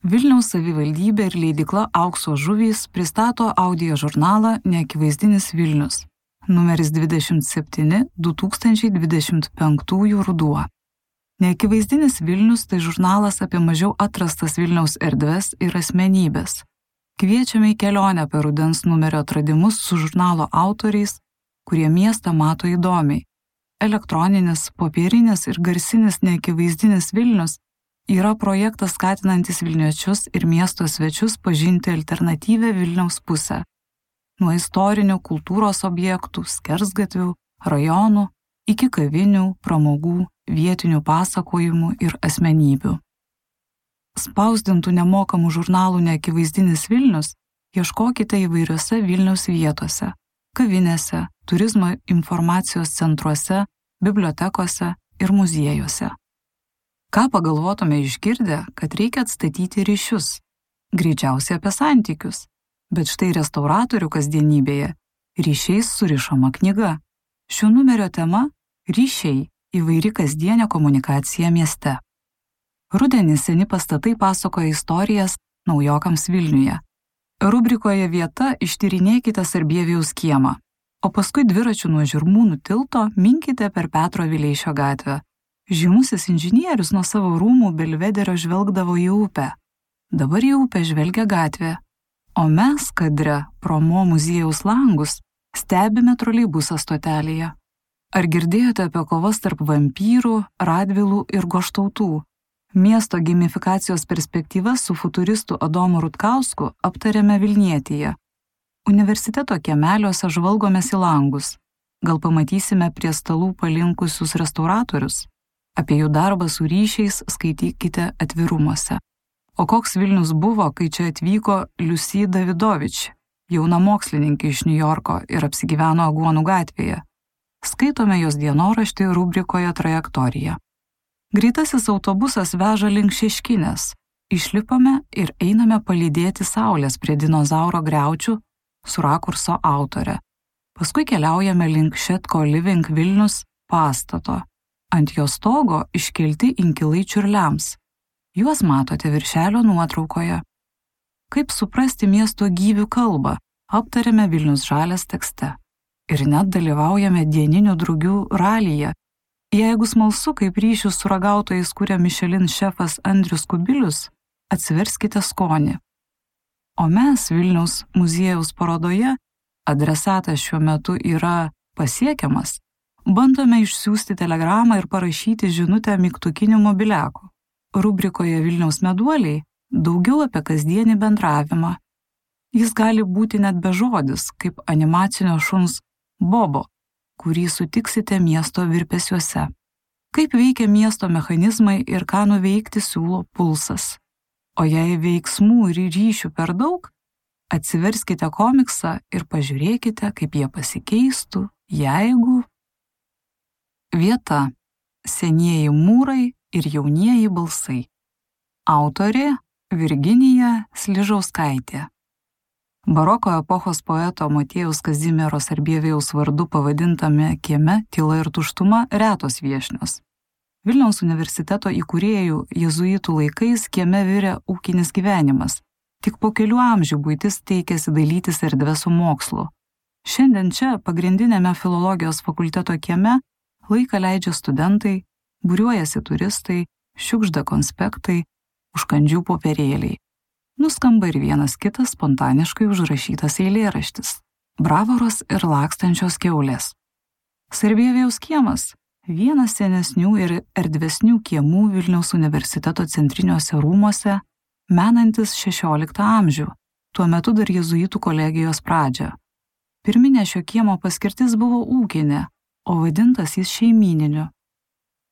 Vilniaus savivaldybė ir leidykla Aukso žuvys pristato audio žurnalą Neakivaizdinis Vilnius, numeris 27 2025 ruduo. Neakivaizdinis Vilnius tai žurnalas apie mažiau atrastas Vilniaus erdves ir asmenybės. Kviečiame į kelionę per rudens numerio atradimus su žurnalo autoriais, kurie miestą mato įdomiai. Elektroninis, popierinis ir garsinis Neakivaizdinis Vilnius yra projektas skatinantis vilniečius ir miesto svečius pažinti alternatyvią Vilniaus pusę. Nuo istorinių kultūros objektų, skersgatvių, rajonų, iki kavinių, pramogų, vietinių pasakojimų ir asmenybių. Spausdintų nemokamų žurnalų Neakivaizdinis Vilnius ieškokite įvairiose Vilniaus vietose, kavinėse, turizmo informacijos centruose, bibliotekose ir muziejuose. Ką pagalvotume išgirdę, kad reikia atstatyti ryšius? Greičiausiai apie santykius. Bet štai restauratorių kasdienybėje ryšiais surišama knyga. Šio numerio tema – ryšiai – įvairi kasdienė komunikacija mieste. Rudenį seni pastatai pasakoja istorijas naujokams Vilniuje. Rubrikoje Vieta ištyrinėkite Sarbievijaus kiemą, o paskui dviračių nuo Žirmūnų tilto minkite per Petro Vileišio gatvę. Žymusis inžinierius nuo savo rūmų Belvederio žvelgdavo į upę. Dabar į upę žvelgia gatvė, o mes kadre pro Mo muziejaus langus stebime troleibusą stotelėje. Ar girdėjote apie kovas tarp vampyrų, radvilų ir goštautų? Miesto gamifikacijos perspektyvas su futuristu Adomu Rutkausku aptarėme Vilnietyje. Universiteto kiemeliuose žvalgomės į langus. Gal pamatysime prie stalų palinkusius restauratorius? Apie jų darbą su ryšiais skaitykite atvirumuose. O koks Vilnius buvo, kai čia atvyko Liusi Davidovič, jauna mokslininkė iš Niujorko ir apsigyveno Aguonų gatvėje? Skaitome jos dienoraštį rubrikoje Trajektorija. Greitasis autobusas veža link Šeškinės. Išlipame ir einame palydėti saulės prie dinozauro griaučių su rakurso autore. Paskui keliaujame link Šetko Living Vilnius pastato. Ant jo stogo iškelti inkilai čiurliams. Juos matote viršelio nuotraukoje. Kaip suprasti miesto gyvių kalbą, aptarėme Vilnius žalias tekste. Ir net dalyvaujame dieninių drugių ralyje. Jeigu smalsu, kaip ryšius su ragautojais kuria Michelin šefas Andrius Kubilius, atsiverskite skonį. O mes Vilniaus muziejaus parodoje, adresatas šiuo metu yra pasiekiamas, bandome išsiųsti telegramą ir parašyti žinutę mygtukiniu mobiliaku. Rubrikoje Vilniaus meduoliai daugiau apie kasdienį bendravimą. Jis gali būti net bežodis, kaip animacinio šuns Bobo, kurį sutiksite miesto virpesiuose. Kaip veikia miesto mechanizmai ir ką nuveikti siūlo Pulsas. O jei veiksmų ir ryšių per daug, atsiverskite komiksą ir pažiūrėkite, kaip jie pasikeistų, jeigu... Vieta – senieji mūrai ir jaunieji balsai. Autorė – Virginija Sližauskaitė. Baroko epochos poeto Motiejaus Kazimiero Sarbievijaus vardu pavadintame kieme Tyla ir tuštuma retos viešnios. Vilniaus universiteto įkūrėjų jėzuitų laikais kieme virė ūkinis gyvenimas. Tik po kelių amžių buitis teikėsi dalytis erdvę su mokslu. Šiandien čia, pagrindinėme filologijos fakulteto kieme, laiką leidžia studentai, būriuojasi turistai, šiukšda konspektai, užkandžių popierėliai. Nuskamba ir vienas kitas spontaniškai užrašytas eilėraštis – Bravoros ir lakstančios kiaulės. Sarbievijaus kiemas – vienas senesnių ir erdvesnių kiemų Vilniaus universiteto centriniuose rūmuose, menantis 16 amžių, tuo metu dar jėzuitų kolegijos pradžią. Pirminė šio kiemo paskirtis buvo ūkinė, o vadintas jis šeimyniniu.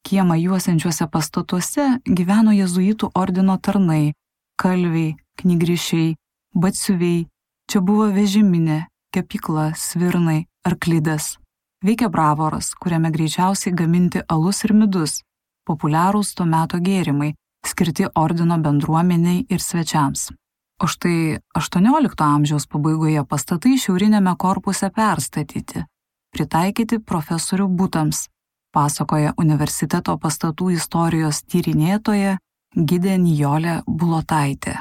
Kiemą juosiančiuose pastatuose gyveno jėzuitų ordino tarnai, kalviai, knygrišiai, batsiuviai, čia buvo vežiminė, kepykla, svirnai, arklidės. Veikia Bravoras, kuriame greičiausiai gaminti alus ir midus, populiarūs to meto gėrimai, skirti ordino bendruomeniai ir svečiams. O štai 18 amžiaus pabaigoje pastatai šiaurinėme korpuse perstatyti, pritaikyti profesorių butams, pasakoja universiteto pastatų istorijos tyrinėtoja Gidė Nijolė Bulotaitė.